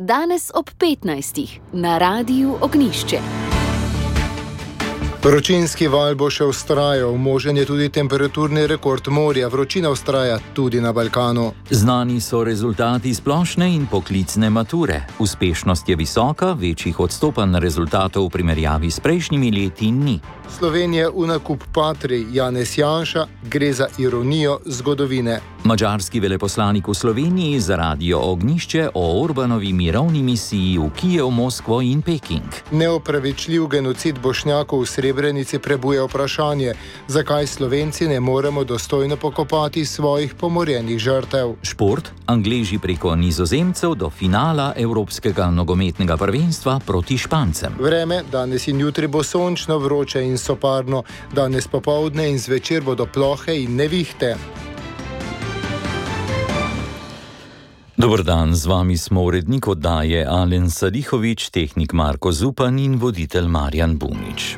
danes ob 15. na Radiu Ognjišče. Vročinski val bo še vztrajal, možen je tudi temperaturni rekord morja, vročina vztraja tudi na Balkanu. Znani so rezultati splošne in poklicne mature. Uspešnost je visoka, večjih odstopanj rezultatov v primerjavi s prejšnjimi leti ni. Slovenija v nakup Patrii, Janez Janša, gre za ironijo zgodovine. Madžarski veleposlanik v Sloveniji za Radio Ognjišče o Orbanovi mirovni misiji v Kijev, Moskvo in Peking. Neopravičljiv genocid Bošnjakov v Srebrenici prebuja vprašanje, zakaj Slovenci ne moremo dostojno pokopati svojih pomorjenih žrtev. Šport, Angleži preko Nizozemcev do finala Evropskega nogometnega prvenstva proti Špancem. Vreme, danes in jutri bo sončno, vroče in soparno, danes popoldne in zvečer bodo plohe in nevihte. Dober dan, z vami smo urednik oddaje Alen Salihović, tehnik Marko Zupan in voditelj Marjan Bunič.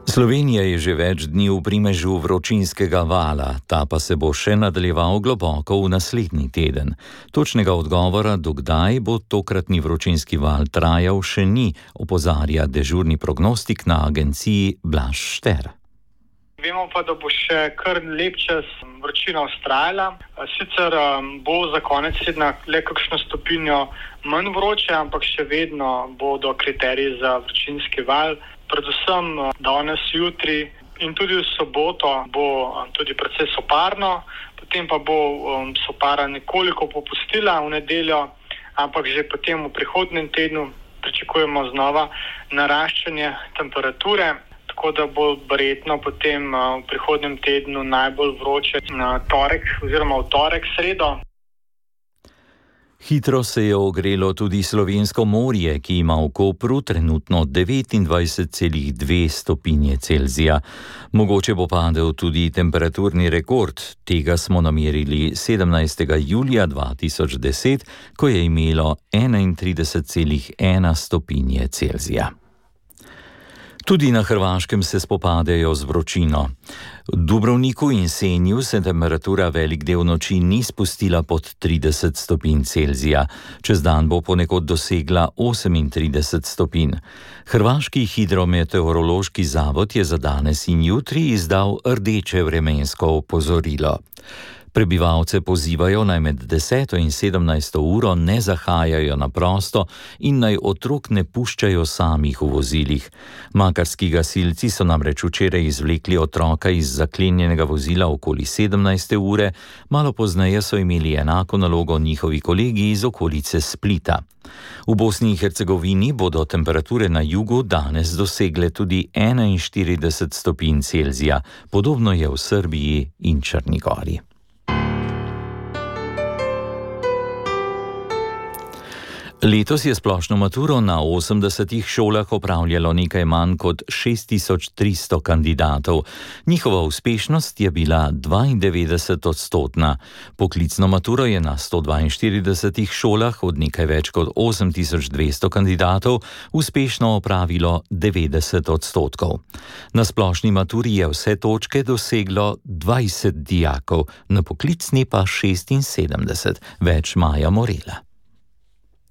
Slovenija je že več dni v primežu vročinskega vala, ta pa se bo še nadaljeval globoko v naslednji teden. Točnega odgovora, do kdaj bo tokratni vročinski val trajal, še ni, opozarja dežurni prognostik na agenciji Blaž Šter. Vemo pa, da bo še kar lep čas vročina vztrajala. Sicer bo za konec tedna le kakšno stopinjo manj vroče, ampak še vedno bodo kriteriji za vročinski val. Predvsem danes, jutri in tudi v soboto bo tudi precej soparno, potem pa bo sopara nekoliko popustila v nedeljo, ampak že potem v prihodnjem tednu pričakujemo znova naraščanje temperature. Tako da bo verjetno potem v prihodnjem tednu najbolj vroče na torek oziroma v torek, sredo. Hitro se je ogrelo tudi slovensko morje, ki ima v Kopru trenutno 29,2 stopinje Celzija. Mogoče bo padel tudi temperaturni rekord. Tega smo namerili 17. julija 2010, ko je imelo 31,1 stopinje Celzija. Tudi na Hrvaškem se spopadajo z vročino. V Dubrovniku in Senju se temperatura velik del noči ni spustila pod 30 stopinj Celzija. Čez dan bo ponekod dosegla 38 stopinj. Hrvaški hidrometeorološki zavod je za danes in jutri izdal rdeče vremensko opozorilo. Prebivalce pozivajo, naj med 10. in 17. uro ne zahajajo na prosto in naj otrok ne puščajo samih v vozilih. Makarski gasilci so namreč včeraj izvlekli otroka iz zaklenjenega vozila okoli 17. ure, malo pozneje so imeli enako nalogo njihovi kolegi iz okolice Splita. V Bosni in Hercegovini bodo temperature na jugu danes dosegle tudi 41 stopinj Celzija, podobno je v Srbiji in Črni Gori. Letos je splošno maturo na 80 šolah opravljalo nekaj manj kot 6300 kandidatov. Njihova uspešnost je bila 92-odstotna. Poklicno maturo je na 142 šolah od nekaj več kot 8200 kandidatov uspešno opravilo 90 odstotkov. Na splošni maturi je vse točke doseglo 20 dijakov, na poklicni pa 76, več Maja Morela.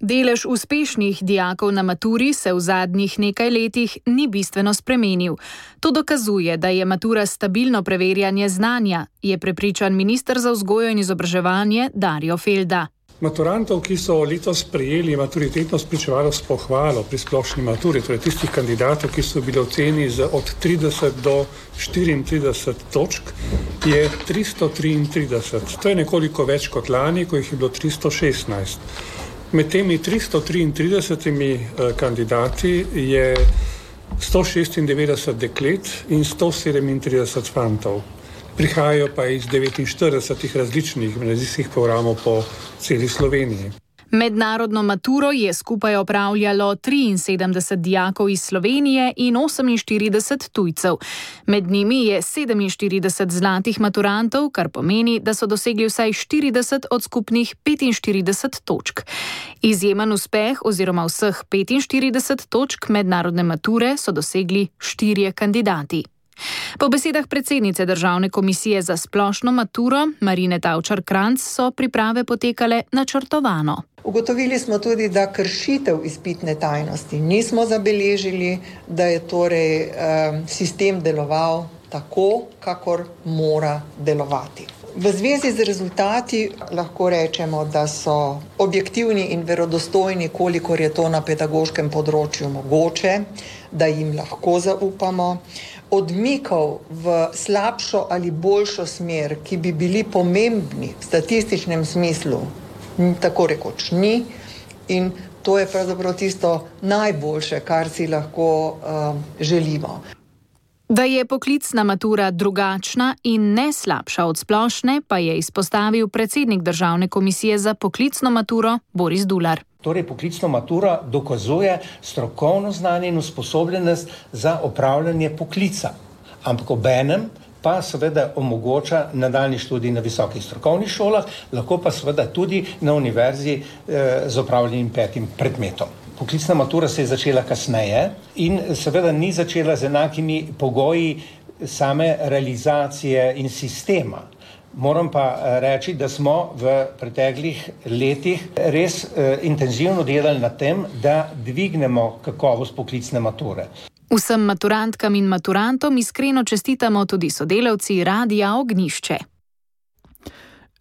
Delež uspešnih dijakov na maturi se v zadnjih nekaj letih ni bistveno spremenil. To dokazuje, da je matura stabilno preverjanje znanja, je prepričan minister za vzgojo in izobraževanje Darjo Felda. Maturantov, ki so letos prejeli maturitetno spričevalo s pohvalo pri splošni maturi, torej tistih kandidatov, ki so bili oceni od 30 do 34 točk, je 333. To je nekoliko več kot lani, ko jih je bilo 316. Med temi 333 kandidati je 196 deklet in 137 fantov. Prihajajo pa iz 49 različnih gimnazijskih programov po celi Sloveniji. Mednarodno maturo je skupaj opravljalo 73 dijakov iz Slovenije in 48 tujcev. Med njimi je 47 zlatih maturantov, kar pomeni, da so dosegli vsaj 40 od skupnih 45 točk. Izjemen uspeh oziroma vseh 45 točk mednarodne mature so dosegli 4 kandidati. Po besedah predsednice Državne komisije za splošno maturo Marine Tavčar-Kranjc so priprave potekale načrtovano. Ugotovili smo tudi, da kršitev izpitne tajnosti nismo zabeležili, da je torej sistem deloval tako, kakor mora delovati. V zvezi z rezultati lahko rečemo, da so objektivni in verodostojni, kolikor je to na pedagoškem področju mogoče, da jim lahko zaupamo. Odmikov v slabšo ali boljšo smer, ki bi bili pomembni v statističnem smislu, tako rekoč ni, in to je pravzaprav tisto najboljše, kar si lahko želimo. Da je poklicna matura drugačna in ne slabša od splošne, pa je izpostavil predsednik Državne komisije za poklicno maturo Boris Dular. Torej, poklicna matura dokazuje strokovno znanje in usposobljenost za opravljanje poklica, ampak obenem pa seveda omogoča nadaljnji študij na visokih strokovnih šolah, lahko pa seveda tudi na univerzi z opravljenim 5. predmetom. Poklicna matura se je začela kasneje in seveda ni začela z enakimi pogoji same realizacije in sistema. Moram pa reči, da smo v preteklih letih res intenzivno delali na tem, da dvignemo kakovost poklicne mature. Vsem maturantkam in maturantom iskreno čestitamo tudi sodelavci Radia Ognjišče.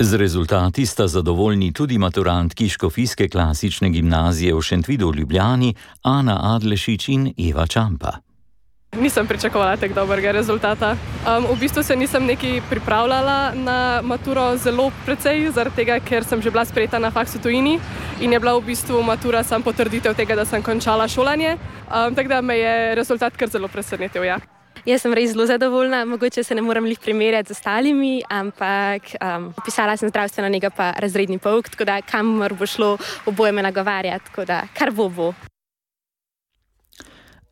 Z rezultati sta zadovoljni tudi maturantki Škofijske klasične gimnazije v Šentvidu v Ljubljani, Ana Adlešič in Eva Čampa. Nisem pričakovala tako dobrega rezultata. V bistvu se nisem nekaj pripravljala na maturo zelo precej, zaradi tega, ker sem že bila sprejeta na faksu tujini in je bila v bistvu matura sam potrditev tega, da sem končala šolanje. Tako da me je rezultat kar zelo presenetil, ja. Jaz sem res zelo zadovoljna, mogoče se ne morem lih primerjati z ostalimi, ampak pisala sem zdravstveno nego pa razredni pouk, tako da kamor bo šlo, oboje me nagovarjati, tako da kar bo.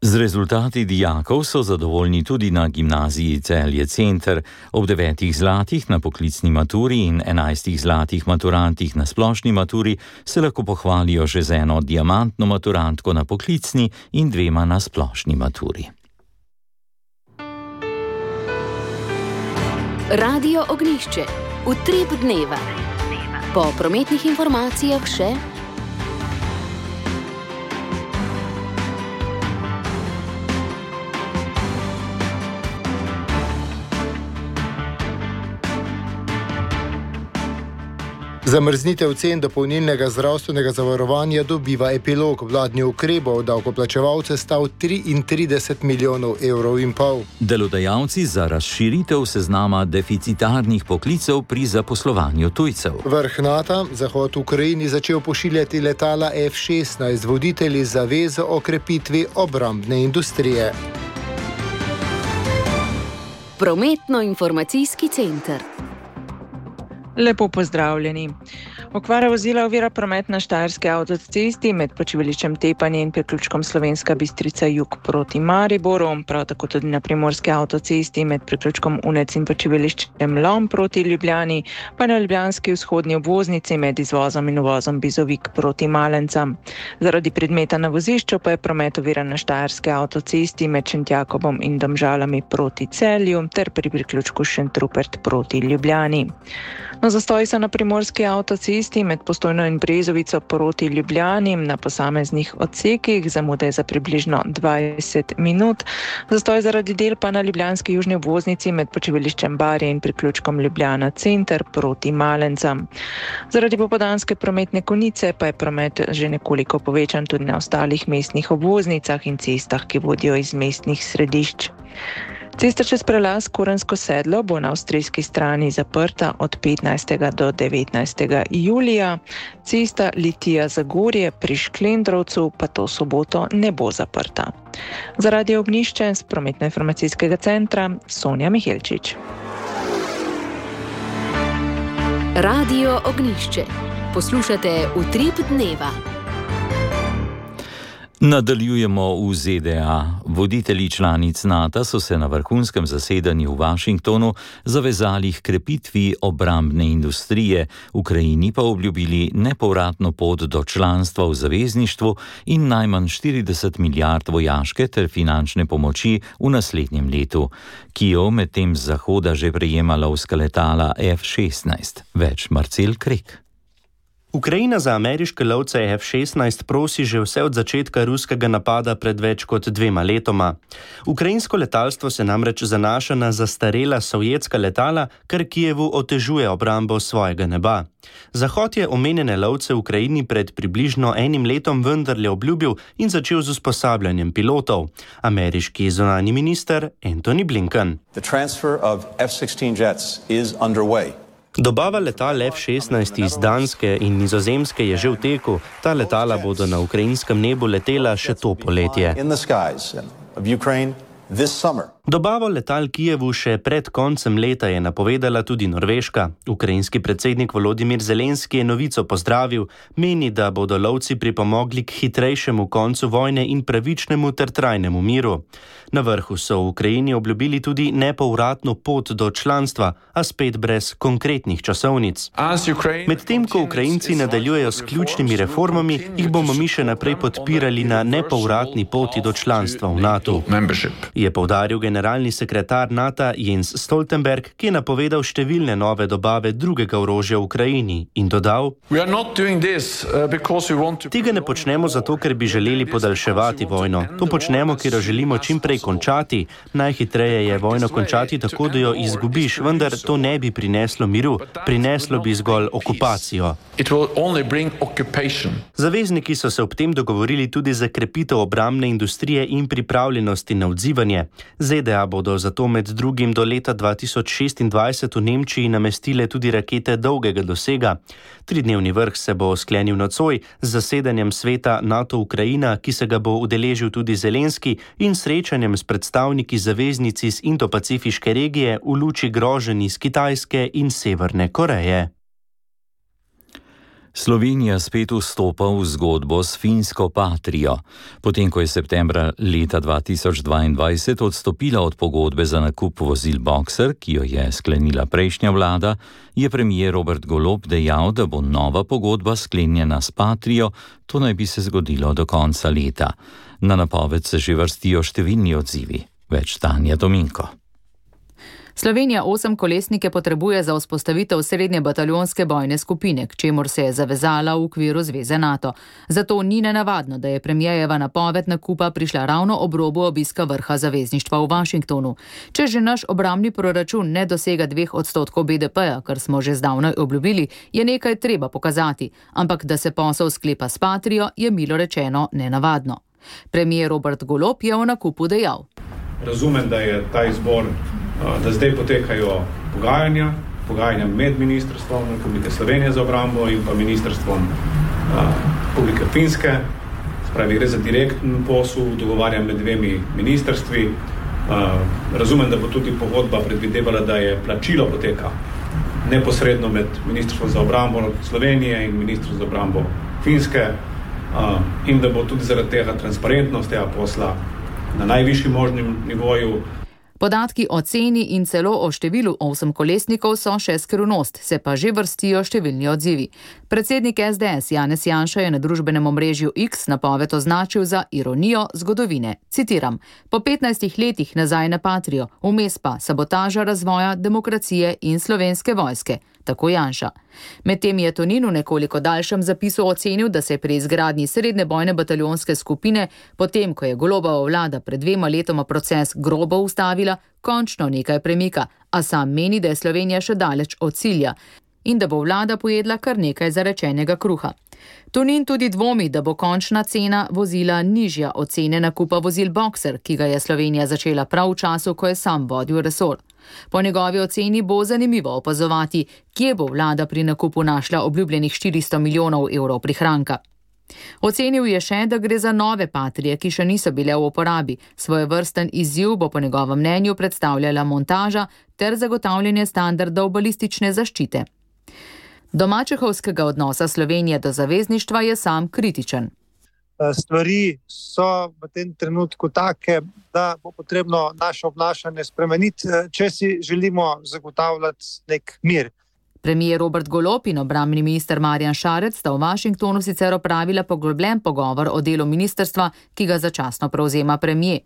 Z rezultati dijakov so zadovoljni tudi na gimnaziji Celje Center. Ob 9 zlatih na poklicni maturi in 11 zlatih maturantih na splošni maturi se lahko pohvalijo že z eno diamantno maturantko na poklicni in 2 na splošni maturi. Radio Ognjišče. Utrip dneva. Po prometnih informacijah še Zamrznitev cen dopolnilnega zdravstvenega zavarovanja dobiva epilog. Vladni ukrep bo davkoplačevalce stal 33 milijonov evrov in pol. Delodajalci za razširitev seznama deficitarnih poklicev pri zaposlovanju tujcev. Vrh NATO Zahod Ukrajini začel pošiljati letala F-16, voditelji zavezo o krepitvi obrambne industrije. Prometno-informacijski center. Lepo pozdravljeni. Okvara vozila ovira promet na Štajerski avtocesti med počivališčem Tepanje in priključkom Slovenska Bistrica jug proti Mariboru, prav tako tudi na Primorski avtocesti med priključkom Unec in počivališčem Lom proti Ljubljani, pa na ljubljanski vzhodni obvoznici med izvozom in uvozom Bizovik proti Malencam. Zaradi predmeta na vozišču pa je promet oviran na Štajerski avtocesti med Šentjakobom in Domžalami proti Celju ter pri priključku Šentrupert proti Ljubljani. No, zastoji so na Primorski avtocesti med Postojno in Brezovico proti Ljubljani na posameznih odsekih, zamude za približno 20 minut. Zastoj zaradi del pa na ljubljanski južni obvoznici med počivališčem Barje in priključkom Ljubljana Center proti Malencam. Zaradi popoldanske prometne konice pa je promet že nekoliko povečan tudi na ostalih mestnih obvoznicah in cestah, ki vodijo iz mestnih središč. Cesta čez prelaz Kurensko sedlo bo na avstrijski strani zaprta od 15. do 19. julija. Cesta Litija-Zagorje pri Šklendrovcu pa to soboto ne bo zaprta. Za Radio Ognjišče z prometno-informacijskega centra Sonja Mihelčič. Radio Ognjišče. Poslušate Utrip dneva. Nadaljujemo v ZDA. Voditelji članic NATO so se na vrhunskem zasedanju v Washingtonu zavezali k krepitvi obrambne industrije, Ukrajini pa obljubili nepovratno pot do članstva v zavezništvu in najmanj 40 milijard vojaške ter finančne pomoči v naslednjem letu. Kijev medtem z zahoda že prejema lovska letala F-16. Več Marcel Krek. Ukrajina za ameriške lovce F-16 prosi že vse od začetka ruskega napada pred več kot 2 letoma. Ukrajinsko letalstvo se namreč zanaša na zastarela sovjetska letala, kar Kijevu otežuje obrambo svojega neba. Zahod je omenjene lovce v Ukrajini pred približno 1 letom vendarle obljubil in začel z usposabljanjem pilotov. Ameriški zunanji minister Antony Blinken. The transfer of F-16 jets is underway. Dobava letal F-16 iz Danske in Nizozemske je že v teku. Ta letala bodo na ukrajinskem nebu letela še to poletje. Dobavo letal Kijevu še pred koncem leta je napovedala tudi Norveška. Ukrajinski predsednik Volodimir Zelenski je novico pozdravil, meni, da bodo lovci pripomogli k hitrejšemu koncu vojne in pravičnemu ter trajnemu miru. Na vrhu so v Ukrajini obljubili tudi nepovratno pot do članstva, a spet brez konkretnih časovnic. Medtem ko Ukrajinci nadaljujejo s ključnimi reformami, jih bomo mi še naprej podpirali na nepovratni poti do članstva v NATO, je poudaril generalni sekretar NATO Jens Stoltenberg, ki je napovedal številne nove dobave drugega orožja v Ukrajini in dodal: Tega ne počnemo zato, ker bi želeli podaljševati vojno. To počnemo, ker jo želimo čim prej končati. Najhitreje je vojno končati tako, da jo izgubiš, vendar to ne bi prineslo miru. Prineslo bi zgolj okupacijo. Zavezniki so se ob tem dogovorili tudi za krepitev obrambne industrije in pripravljenosti na odzivanje. ZDA bodo zato med drugim do leta 2026 v Nemčiji namestile tudi rakete dolgega dosega. 3-dnevni vrh se bo sklenil nocoj z zasedanjem sveta NATO-Ukrajina, ki se ga bo udeležil tudi Zelenski, in srečanjem s predstavniki zaveznic iz Indo-Pacifiške regije v luči groženj iz Kitajske in Severne Koreje. Slovenija spet vstopa v zgodbo s finsko Patrio. Potem, ko je septembra leta 2022 odstopila od pogodbe za nakup vozil Boxer, ki jo je sklenila prejšnja vlada, je premier Robert Golob dejal, da bo nova pogodba sklenjena s Patrio, to naj bi se zgodilo do konca leta. Na napoved se že vrstijo številni odzivi. Več Tanja Dominko. Slovenija 8-kolesnike potrebuje za vzpostavitev srednje bataljonske bojne skupine, k čemur se je zavezala v okviru Zveze NATO. Zato ni nenavadno, da je premierjeva napoved nakupa prišla ravno ob robu obiska vrha zavezništva v Washingtonu. Če že naš obrambni proračun ne dosega 2% BDP-ja, kar smo že zdavnaj obljubili, je nekaj treba pokazati, ampak da se posel sklepa s Patrio, je milo rečeno nenavadno. Premier Robert Golob je o nakupu dejal: Razumem, da je ta izbor, da zdaj potekajo pogajanja med Ministrstvom Republike Slovenije za obrambo in pa Ministrstvom Republike Finske. Spravi, gre za direktni posel, dogovarjam med dvemi ministrstvi. Razumem, da bo tudi pogodba predvidevala, da je plačilo poteka neposredno med Ministrstvom za obrambo Slovenije in Ministrstvom za obrambo Finske in da bo tudi zaradi tega transparentnost tega posla na najvišjem možnem nivoju. Podatki o ceni in celo o številu 8-kolesnikov so še skrivnost, se pa že vrstijo številni odzivi. Predsednik SDS Janez Janša je na družbenem omrežju X napoved označil za ironijo zgodovine. Citiram: Po 15 letih nazaj na Patrio, vmes pa sabotaža razvoja demokracije in slovenske vojske. Tako Janša. Medtem je Tonin v nekoliko daljšem zapisu ocenil, da se je pri izgradnji srednje bojne bataljonske skupine, potem ko je Golobova vlada pred 2 letoma proces grobo ustavila, končno nekaj premika, a sam meni, da je Slovenija še daleč od cilja in da bo vlada pojedla kar nekaj zarečenega kruha. Tonin tudi dvomi, da bo končna cena vozila nižja od cene nakupa vozil Boxer, ki ga je Slovenija začela prav v času, ko je sam vodil resor. Po njegovi oceni bo zanimivo opazovati, kje bo vlada pri nakupu našla obljubljenih 400 milijonov evrov prihranka. Ocenil je še, da gre za nove Patrie, ki še niso bile v uporabi. Svojevrsten izziv bo po njegovem mnenju predstavljala montaža ter zagotavljanje standardov balistične zaščite. Do mačehovskega odnosa Slovenije do zavezništva je sam kritičen. Stvari so v tem trenutku take, da bo potrebno naše obnašanje spremeniti, če si želimo zagotavljati nek mir. Premijer Robert Golob in obrambni minister Marjan Šarec sta v Washingtonu sicer opravila poglobljen pogovor o delu ministrstva, ki ga začasno prevzema premijer.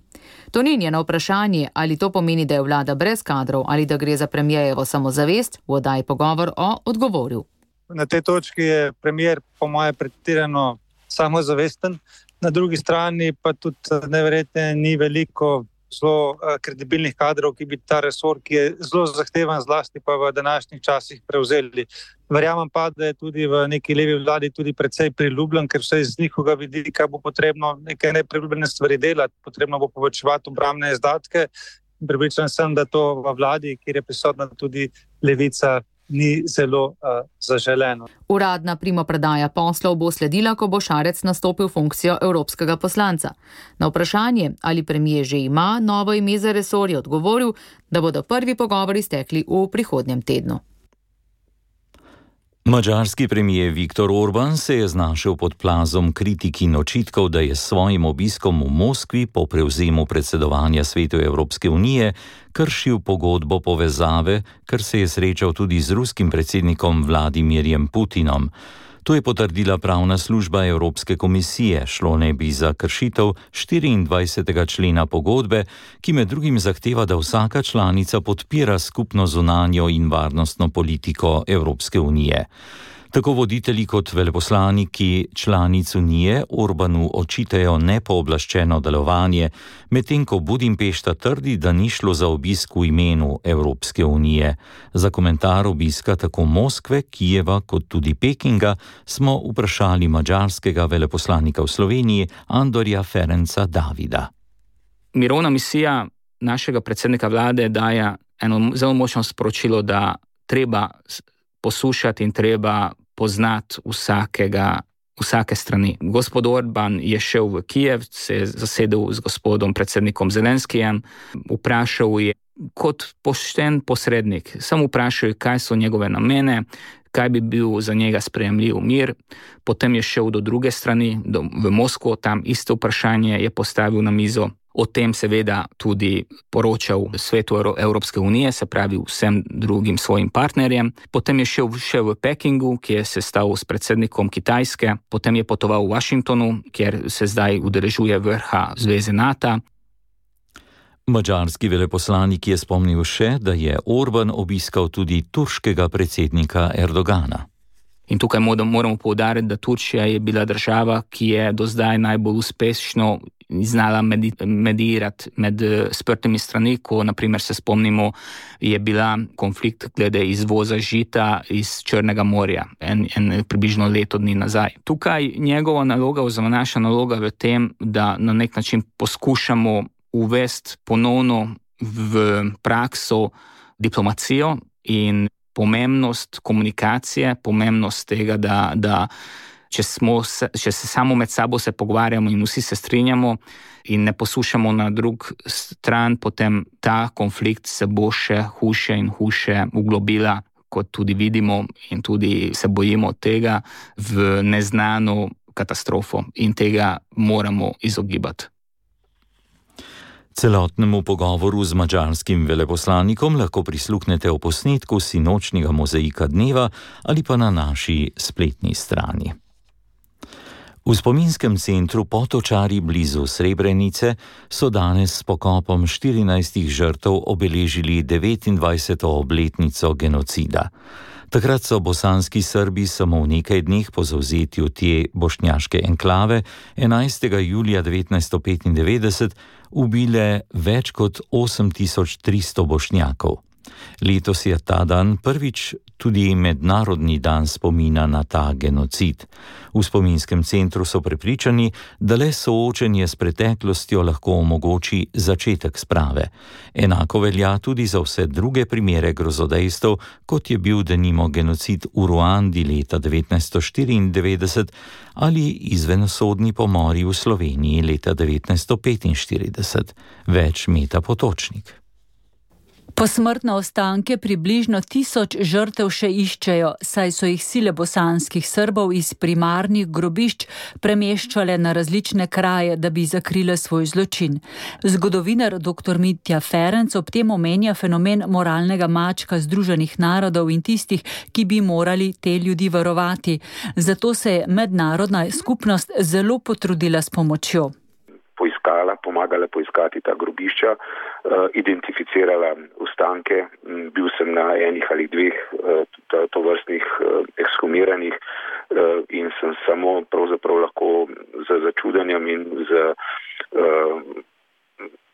Tonin je na vprašanje, ali to pomeni, da je vlada brez kadrov ali da gre za premijejevo samozavest, v oddaji Pogovor odgovoril. Na tej točki je premijer po moje pretirano samozavesten, na drugi strani pa tudi neverjetno ni veliko zelo kredibilnih kadrov, ki bi ta resor, ki je zelo zahtevan, zlasti pa v današnjih časih prevzeli. Verjamem pa, da je tudi v neki levi vladi tudi precej priljubljen, ker vse iz njihovega vidika bo potrebno neke nepriljubljene stvari delati, potrebno bo povečevati obrambne izdatke. Prepričan sem, da to v vladi, kjer je prisotna tudi levica, ni zelo zaželeno. Uradna primopredaja poslov bo sledila, ko bo Šarec nastopil funkcijo evropskega poslanca. Na vprašanje, ali premijer že ima novo ime za resor, je odgovoril, da bodo prvi pogovori stekli v prihodnjem tednu. Madžarski premijer Viktor Orban se je znašel pod plazom kritik in očitkov, da je s svojim obiskom v Moskvi po prevzemu predsedovanja Svetu Evropske unije kršil pogodbo povezave, ker se je srečal tudi z ruskim predsednikom Vladimirjem Putinom. To je potrdila pravna služba Evropske komisije, šlo ne bi za kršitev 24. člena pogodbe, ki med drugim zahteva, da vsaka članica podpira skupno zunanjo in varnostno politiko Evropske unije. Tako voditelji kot veleposlaniki članic Unije Orbanu očitajo nepooblaščeno delovanje, medtem ko Budimpešta trdi, da ni šlo za obisk v imenu Evropske unije. Za komentar obiska tako Moskve, Kijeva kot tudi Pekinga smo vprašali madžarskega veleposlanika v Sloveniji Andorja Ferenca Davida. Mirovna misija našega predsednika vlade daje eno zelo močno sporočilo, da treba poslušati in treba poznati vsake strani. Gospod Orban je šel v Kijev, se je zasedel z gospodom predsednikom Zelenskijem, vprašal je kot pošten posrednik, samo vprašal je, kaj so njegove namene, kaj bi bil za njega sprejemljiv mir. Potem je šel do druge strani, v Moskvo, tam isto vprašanje je postavil na mizo. O tem seveda tudi poročal Svetu Evropske unije, se pravi vsem drugim svojim partnerjem. Potem je šel še v Pekingu, ki je sestal s predsednikom Kitajske. Potem je potoval v Washingtonu, kjer se zdaj udeležuje vrha Zveze NATO. Madžarski veleposlanik je spomnil še, da je Orban obiskal tudi turškega predsednika Erdogana. In tukaj moramo poudariti, da Turčija je bila država, ki je do zdaj najbolj uspešno znala medirati med sprtimi strani, ko naprimer se spomnimo, je bila konflikt glede izvoza žita iz Črnega morja, približno leto dni nazaj. Tukaj njegova naloga oziroma naša naloga v tem, da na nek način poskušamo uvesti ponovno v prakso diplomacijo in pomembnost komunikacije, pomembnost tega, da če se samo med sabo se pogovarjamo in vsi se strinjamo in ne poslušamo na drug stran, potem ta konflikt se bo še hujše in hujše uglobila, kot tudi vidimo in tudi se bojimo tega, v neznano katastrofo in tega moramo izogibati. Celotnemu pogovoru z madžarskim veleposlanikom lahko prisluhnete v posnetku sinočnjega mozaika dneva ali pa na naši spletni strani. V spominskem centru Potočari blizu Srebrenice so danes s pokopom 14 žrtev obeležili 29. obletnico genocida. Takrat so bosanski Srbi samo v nekaj dneh po zavzetju te bošnjaške enklave 11. julija 1995 ubile več kot 8300 bošnjakov. Letos je ta dan prvič tudi mednarodni dan spomina na ta genocid. V spominskem centru so prepričani, da le soočenje s preteklostjo lahko omogoči začetek sprave. Enako velja tudi za vse druge primere grozodejstev, kot je bil denimo genocid v Ruandi leta 1994 ali izvensodni pomori v Sloveniji leta 1945. Več Meta Potočnik. Posmrtne ostanke približno 1000 žrtev še iščejo, saj so jih sile bosanskih Srbov iz primarnih grobišč premeščale na različne kraje, da bi zakrile svoj zločin. Zgodovinar dr. Mitja Ferenc ob tem omenja fenomen moralnega mačka Združenih narodov in tistih, ki bi morali te ljudi varovati. Zato se je mednarodna skupnost zelo potrudila s pomočjo. Pomagala poiskati ta grobišča, identificirala ostanke. Bil sem na enih ali dveh tovrstnih ekshumiranih in sem samo pravzaprav lahko z začudenjem in z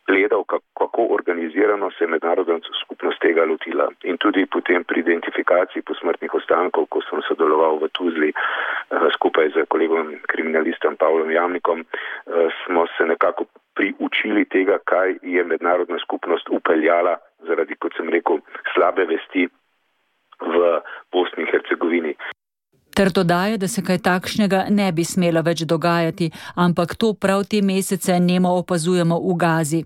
gledal, kako organizirano se je mednarodna skupnost tega lotila. In tudi potem pri identifikaciji posmrtnih ostankov, ko sem sodeloval v Tuzli skupaj z kolegom kriminalistom Pavlom Jamnikom, smo se nekako priučili tega, kaj je mednarodna skupnost upeljala zaradi, kot sem rekel, slabe vesti v Bosni in Hercegovini. Ter dodaja, da se kaj takšnega ne bi smelo več dogajati, ampak to prav te mesece nemo opazujemo v Gazi.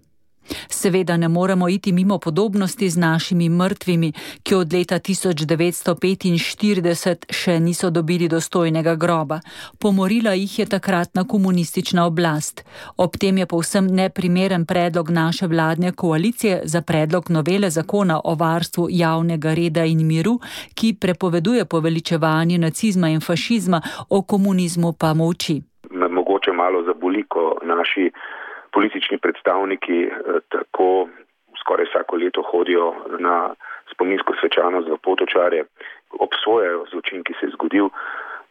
Seveda ne moremo iti mimo podobnosti z našimi mrtvimi, ki od leta 1945 še niso dobili dostojnega groba. Pomorila jih je takratna komunistična oblast. Ob tem je povsem neprimeren predlog naše vladne koalicije za predlog novele zakona o varstvu javnega reda in miru, ki prepoveduje poveličevanje nacizma in fašizma, o komunizmu pa molči. Mogoče malo zaboli, ko naši politični predstavniki tako skoraj vsako leto hodijo na spominsko svečanost v Potočarje, obsojajo zločin, ki se je zgodil,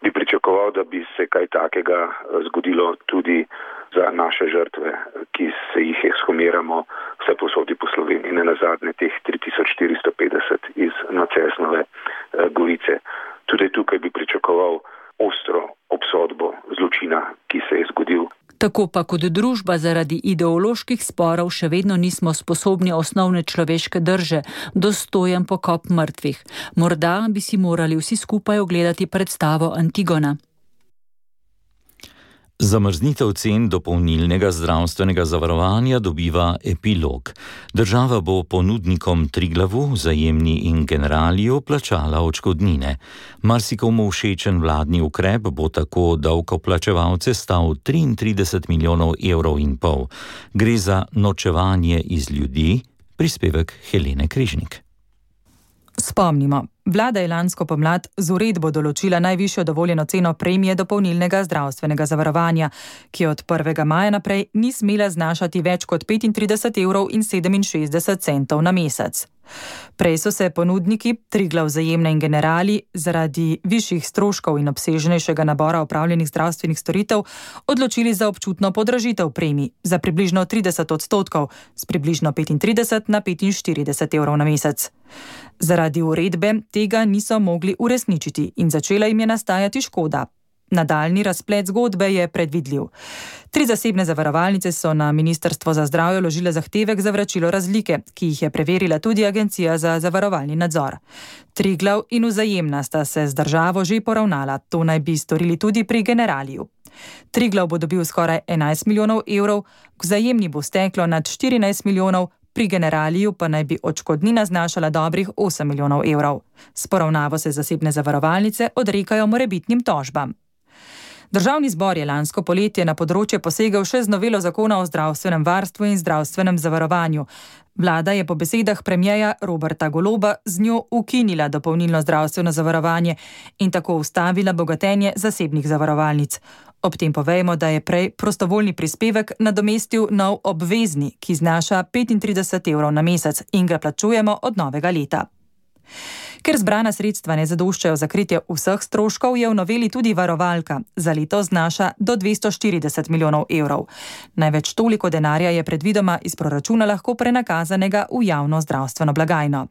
bi pričakoval, da bi se kaj takega zgodilo tudi za naše žrtve, ki se jih ekshumiramo vse posodi po Sloveniji, ne nazadnje teh 3450 iz Nacesnove Gorice. Tudi tukaj bi pričakoval ostro obsodbo zločina, ki se je zgodil. Tako pa kot družba zaradi ideoloških sporov še vedno nismo sposobni osnovne človeške drže, dostojen pokop mrtvih. Morda bi si morali vsi skupaj ogledati predstavo Antigona. Zamrznitev cen dopolnilnega zdravstvenega zavarovanja dobiva epilog. Država bo ponudnikom Triglavu, Vzajemni in Generaliju plačala odškodnine. Marsikomu všečen vladni ukrep bo tako davkoplačevalce stal 33 milijonov evrov in pol. Gre za norčevanje iz ljudi, prispevek Helene Križnik. Spomnimo, vlada je lansko pomlad z uredbo določila najvišjo dovoljeno ceno premije dopolnilnega zdravstvenega zavarovanja, ki od 1. maja naprej ni smela znašati več kot 35,67 € na mesec. Prej so se ponudniki Triglav, Vzajemna in Generali zaradi višjih stroškov in obsežnejšega nabora opravljenih zdravstvenih storitev odločili za občutno podražitev premij za približno 30%, s približno 35 na 45 € na mesec. Zaradi uredbe tega niso mogli uresničiti in začela jim je nastajati škoda. Nadaljni razplet zgodbe je predvidljiv. 3 zasebne zavarovalnice so na Ministrstvo za zdravje vložile zahtevek za vračilo razlike, ki jih je preverila tudi Agencija za zavarovalni nadzor. Triglav in Vzajemna sta se z državo že poravnala, to naj bi storili tudi pri Generaliju. Triglav bo dobil skoraj 11 milijonov evrov, k Vzajemni bo steklo nad 14 milijonov, pri Generaliju pa naj bi odškodnina znašala dobrih 8 milijonov evrov. S poravnavo se zasebne zavarovalnice odrekajo morebitnim tožbam. Državni zbor je lansko poletje na področje posegel še z novelo zakona o zdravstvenem varstvu in zdravstvenem zavarovanju. Vlada je po besedah premierja Roberta Goloba z njo ukinila dopolnilno zdravstveno zavarovanje in tako ustavila bogatenje zasebnih zavarovalnic. Ob tem povejmo, da je prej prostovoljni prispevek nadomestil nov obvezni, ki znaša 35 € na mesec in ga plačujemo od novega leta. Ker zbrana sredstva ne zadoščajo za kritje vseh stroškov, je v noveli tudi varovalka. Za leto znaša do 240 milijonov evrov. Največ toliko denarja je predvidoma iz proračuna lahko prenakazanega v javno zdravstveno blagajno.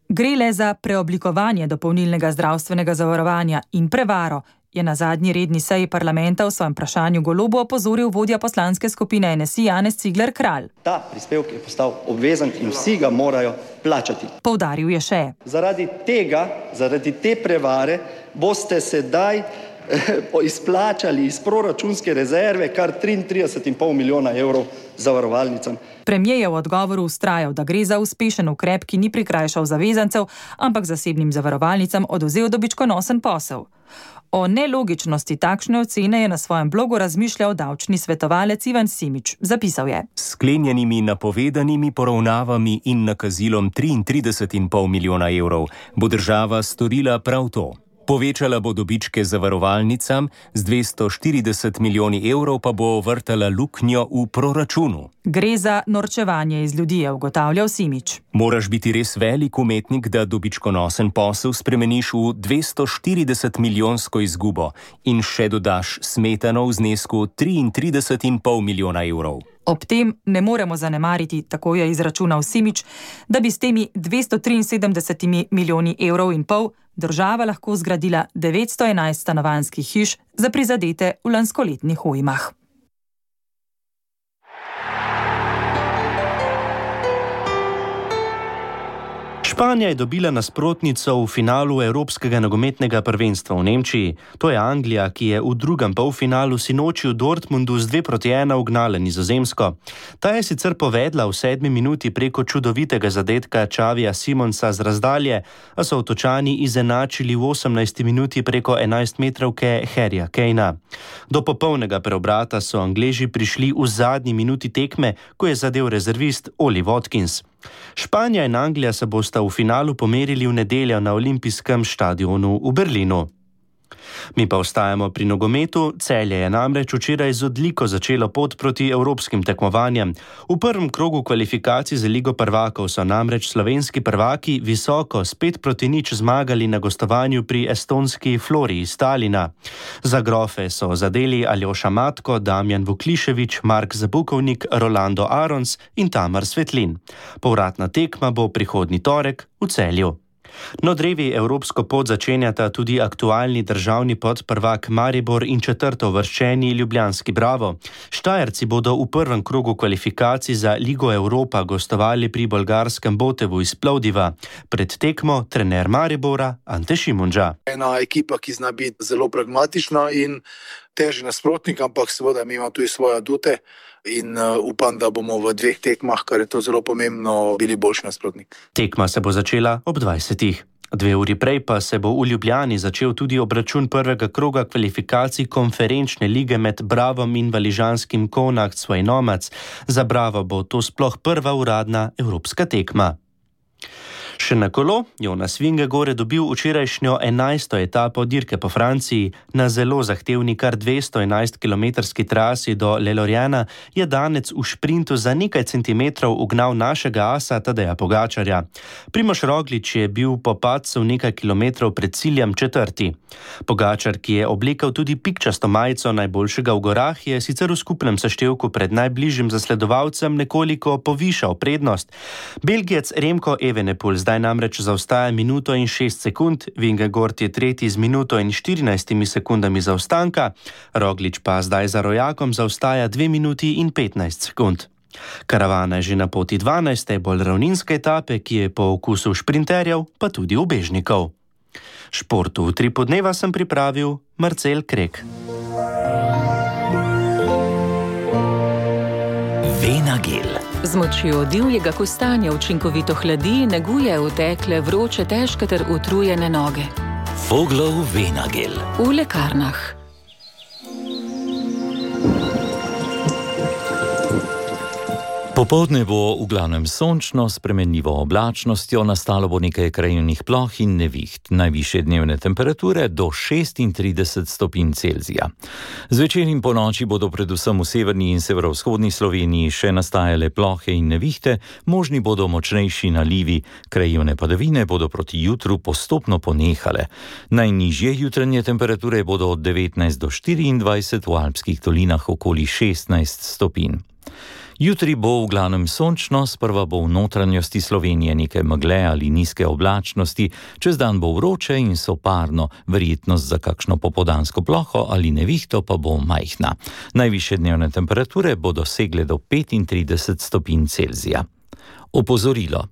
Gre le za preoblikovanje dopolnilnega zdravstvenega zavarovanja in prevaro, je na zadnji redni seji parlamenta v svojem vprašanju Golobu opozoril vodja poslanske skupine NSI Janez Cigler Kralj. Ta prispevek je postal obvezen in vsi ga morajo plačati. Poudaril je še. Zaradi te prevare boste sedaj izplačali iz proračunske rezerve kar 33,5 milijona evrov zavarovalnicam. Premijer je v odgovoru vztrajal, da gre za uspešen ukrep, ki ni prikrajšal zavezancev, ampak zasebnim zavarovalnicam odvzel dobičkonosen posel. O nelogičnosti takšne ocene je na svojem blogu razmišljal davčni svetovalec Ivan Simič. Zapisal je: sklenjenimi napovedanimi poravnavami in nakazilom 33,5 milijona evrov bo država storila prav to. Povečala bo dobičke zavarovalnicam, z 240 milijoni evrov pa bo vrtala luknjo v proračunu. Gre za norčevanje iz ljudi, je ugotavljal Simič. Moraš biti res velik umetnik, da dobičkonosen posel spremeniš v 240 milijonsko izgubo in še dodaš smetano v znesku 33,5 milijona evrov. Ob tem ne moremo zanemariti, tako je izračunal Simič, da bi s temi 273 milijoni evrov in pol država lahko zgradila 911 stanovanjskih hiš za prizadete v lanskoletnih ujmah. Španija je dobila nasprotnico v finalu Evropskega nogometnega prvenstva v Nemčiji. To je Anglija, ki je v drugem polfinalu sinoči v Dortmundu z 2:1 ugnala Nizozemsko. Ta je sicer povedla v 7. minuti preko čudovitega zadetka Xavija Simonsa z razdalje, a so Otočani izenačili v 18. minuti preko 11-metrovke Harryja Kanea. Do popolnega preobrata so Angleži prišli v zadnji minuti tekme, ko je zadel rezervist Oli Watkins. Španija in Anglija se bosta v finalu pomerili v nedeljo na olimpijskem štadionu v Berlinu. Mi pa ostajamo pri nogometu. Celje je namreč včeraj z odliko začelo pot proti evropskim tekmovanjem. V prvem krogu kvalifikacij za Ligo prvakov so namreč slovenski prvaki visoko s 5-0 zmagali na gostovanju pri estonski Flori iz Talina. Za grofe so zadeli Aljoša Matko, Damjan Vuklišević, Mark Zabukovnik, Rolando Arons in Tamar Svetlin. Povratna tekma bo prihodnji torek v Celju. No, drevi evropsko pot začenjata tudi aktualni državni podprvak Maribor in četrtouvrščeni ljubljanski Bravo. Štajerci bodo v prvem krogu kvalifikacij za Ligo Evropa gostovali pri bolgarskem Botevu iz Plovdiva. Pred tekmo trener Maribora Ante Šimundža. Ena ekipa, ki zna biti zelo pragmatična in težji nasprotnik, ampak seveda mi imamo tudi svoje adute. In upam, da bomo v 2 tekmah, kar je to zelo pomembno, bili boljši nasprotnik. Tekma se bo začela ob 20. 2 uri prej pa se bo v Ljubljani začel tudi obračun prvega kroga kvalifikacij konferenčne lige med Bravom in valižanskim Konakt svoj Nomac. Za Bravo bo to sploh prva uradna evropska tekma. Še na kolo Jonas Vingegaard je dobil včerajšnjo 11. etapo dirke po Franciji. Na zelo zahtevni kar 211-kilometrski trasi do Le Loriana je danec v šprintu za nekaj centimetrov ugnal našega asa Tadeja Pogačarja. Primož Roglič je bil po padcu nekaj kilometrov pred ciljem 4. Pogačar, ki je oblekel tudi pikčasto majico najboljšega v gorah, je sicer v skupnem seštevku pred najbližjim zasledovalcem nekoliko povišal prednost. Belgijec Remko Evenepoel zdaj namreč zaostaja minuto in 6 sekund, Vingegaard je tretji z minuto in 14 sekundami zaostanka, Roglič pa zdaj za rojakom zaostaja 2 minuti in 15 sekund. Karavana je že na poti 12. bolj ravninske etape, ki je po okusu šprinterjev pa tudi ubežnikov. Športu v 3 podneva sem pripravil Marcel Krek. Venagel. Z močjo divjega kostanja učinkovito hladi, neguje utekle, vroče, težke ter utrujene noge. Voglov Venagel. V lekarnah. Popoldne bo v glavnem sončno, s spremenljivo oblačnostjo, nastalo bo nekaj krajevnih ploh in neviht. Najvišje dnevne temperature do 36 stopinj Celzija. Zvečer in ponoči bodo predvsem v severni in severovzhodni Sloveniji še nastajale plohe in nevihte, možni bodo močnejši nalivi, krajevne padavine bodo proti jutru postopno ponehale. Najnižje jutranje temperature bodo od 19 do 24, v alpskih dolinah okoli 16 stopinj. Jutri bo v glavnem sončno, sprva bo v notranjosti Slovenije nekaj megle ali nizke oblačnosti, čez dan bo vroče in soparno, verjetnost za kakšno popoldansko ploho ali nevihto pa bo majhna. Najvišje dnevne temperature bodo segle do 35 stopinj Celzija. Opozorilo.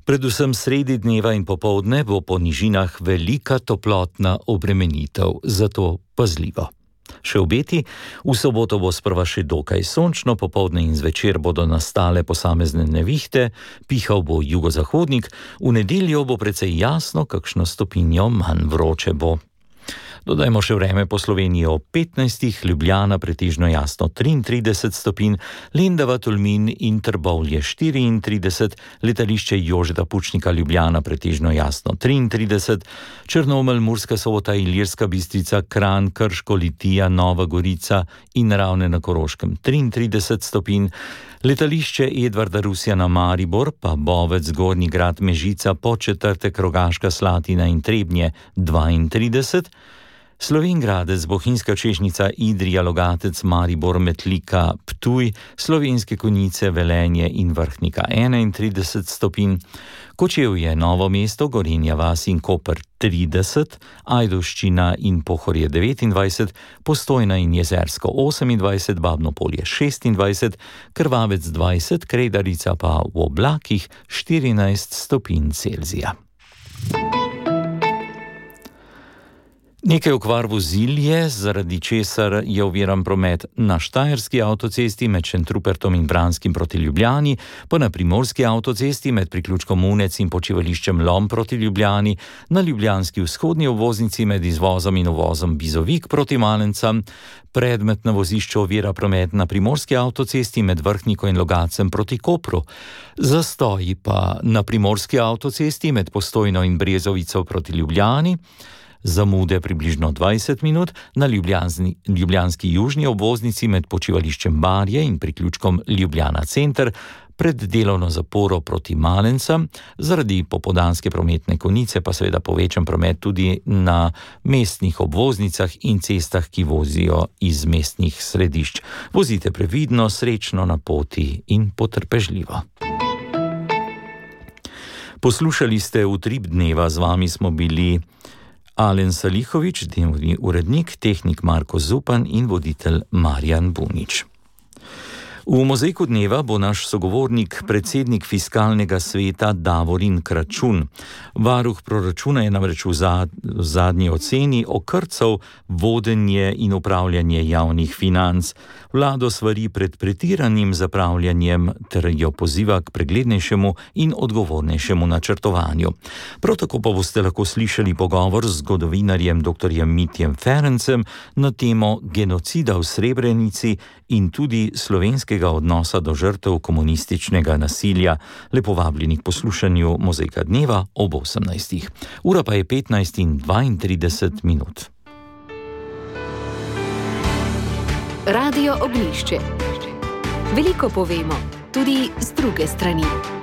Predvsem sredi dneva in popoldne bo po nižinah velika toplotna obremenitev, zato pazljivo. Še obeti, v soboto bo sprva še dokaj sončno, popoldne in zvečer bodo nastale posamezne nevihte, pihal bo jugozahodnik, v nedeljo bo precej jasno, kakšno stopinjo manj vroče bo. Dodajmo še vreme po Sloveniji ob 15, Ljubljana pretežno jasno 33 stopinj, Lendava, Tolmin in Trbovlje 34, letališče Jožeta Pučnika Ljubljana pretežno jasno 33, Črnomelj, Murska Sobota, Ilirska Bistrica, Kranj, Krško, Litija, Nova Gorica in Ravne na Koroškem 33 stopinj, letališče Edvarda Rusjana Maribor, pa Bovec, Gornji Grad, Mežica, Podčetrtek, Rogaška Slatina in Trebnje 32, Slovenj Gradec, Bohinjska Češnjica, Idrija, Logatec, Maribor, Metlika, Ptuj, Slovenske Konjice, Velenje in Vrhnika 31 stopinj, Kočevje, Novo mesto, Gorenja vas in Koper 30, Ajdovščina in Pohorje 29, Postojna in Jezersko 28, Babno Polje 26, Krvavec 20, Kredarica pa v oblakih 14 stopinj Celzija. Nekaj okvar vozil je, zaradi česar je oviran promet na Štajerski avtocesti med Šentrupertom in Branskim proti Ljubljani, pa na Primorski avtocesti med priključkom Unec in počivališčem Lom proti Ljubljani, na Ljubljanski vzhodni obvoznici med izvozom in uvozom Bizovik proti Malencam, predmet na vozišču ovira promet na Primorski avtocesti med Vrhniko in Logacem proti Kopru, zastoji pa na Primorski avtocesti med Postojno in Brezovico proti Ljubljani, zamude približno 20 minut na ljubljanski južni obvoznici med počivališčem Barje in priključkom Ljubljana center pred delovno zaporo proti Malencam, zaradi popoldanske prometne konice pa seveda povečan promet tudi na mestnih obvoznicah in cestah, ki vozijo iz mestnih središč. Vozite previdno, srečno na poti in potrpežljivo. Poslušali ste Utrip dneva, z vami smo bili Alen Salihovič, dnevni urednik, tehnik Marko Zupan in voditelj Marjan Bunič. V mozaiku dneva bo naš sogovornik, predsednik Fiskalnega sveta Davorin Kračun. Varuh proračuna je namreč v zadnji oceni okrcal vodenje in upravljanje javnih financ. Vlado svari pred pretiranim zapravljanjem ter jo poziva k preglednejšemu in odgovornejšemu načrtovanju. Prav tako pa boste lahko slišali pogovor z zgodovinarjem dr. Mitjem Ferencem na temo genocida v Srebrenici in tudi slovenskega odnosa do žrtev komunističnega nasilja. Lepo vabljeni k poslušanju Mozaika dneva ob 18. Ura pa je 15:32 minut. Radio Ognjišče. Veliko povemo, tudi z druge strani.